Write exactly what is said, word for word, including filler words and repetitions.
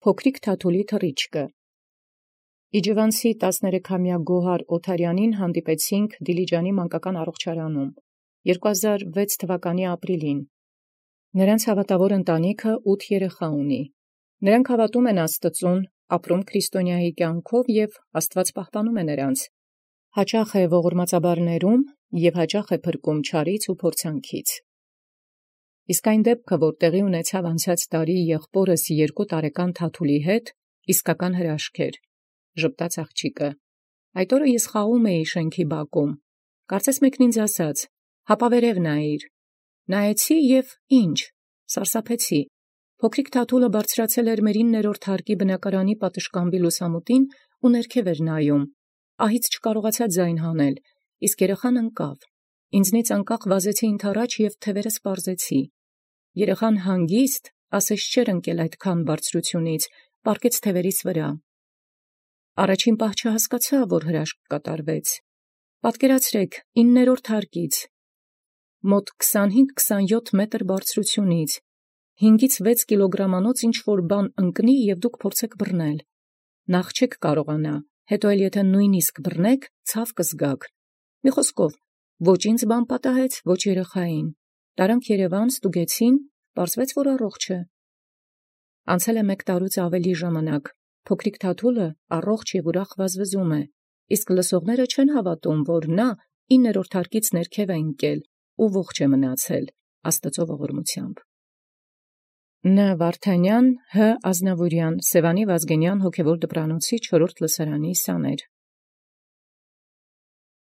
Փոքրիկ Թաթուլի թռիչքը։ Իջևանցի տասներեքամյա Գոհար Օթարյանին հանդիպեցինք Դիլիջանի մանկական առողջարանում երկու հազար վեց թվականի ապրիլին։ Նրանց հավատավոր ընտանիքը ութ երեխա ունի։ Նրանք հավատում են Աստծուն, ապրում քրիստոնյայի կյանքով և Աստված պահպանում է նրանց։ Հաճախ է ողորմածաբարներում և հաճախ է փրկում չարից ու փորձանքից։ Իսկ այն դեպքը, որ տեղի ունեցավ անցած տարի եղբորս երկու տարեկան Թաթուլի հետ, իսկական հրաշք էր, ժպտաց աղջիկը։ Այդ օրը ես խաղում էի շենքի բակում։ Կարծես մեկն ինձ ասաց. «Հապա վերև նայիր»։ Նայեցի և ի՞նչ, սարսափեցի։ Փոքրիկ Թաթուլը բարձրացել էր մեր իններորդ հարկի բնակարանի պատշգամբի լուսամուտին ու ներքև էր նայում։ Ահից չկարողացա ձայն հանել, իսկ երեխան ընկավ։ Ինձնից անկախ վազեցի ընդառաջ և թևերս պարզեցի։ Երեխան հանգիստ, ասես չէր ընկել այդքան բարձրությունից, պառկեց թևերիս վրա։ Առաջին պահ չհասկացա, որ հրաշք կատարվեց։ Պատկերացրեք, իններորդ հարկից, մոտ քսանհինգ քսանյոթ մետր բարձրությունից, հինգից վեց կիլոգրամանոց ինչ-որ բան ընկնի և դուք փորձեք բռնել։ Նախ չեք կարողանա, հետո էլ եթե նույնիսկ բռնեք, ցավ կզգաք։ Մի խոսքով, ոչ ինձ բան պատահեց, ոչ երեխային։ Տարանք Երևան, ստուգեցին, պարզվեց, որ առողջ է։ Անցել է մեկ տարուց ավելի ժամանակ։ Փոքրիկ Թաթուլը առողջ և ուրախ վազվզում է, իսկ լսողները չեն հավատում, որ նա իններորդ հարկից ներքև է ընկել ու ողջ է մնացել Աստծո ողորմությամբ։ Ն. Վարդանյան, Հ. Ազնավուրյան, Սևանի Վազգենյան հոգևոր դպրանոցի չորրորդ լսարանի սաներ։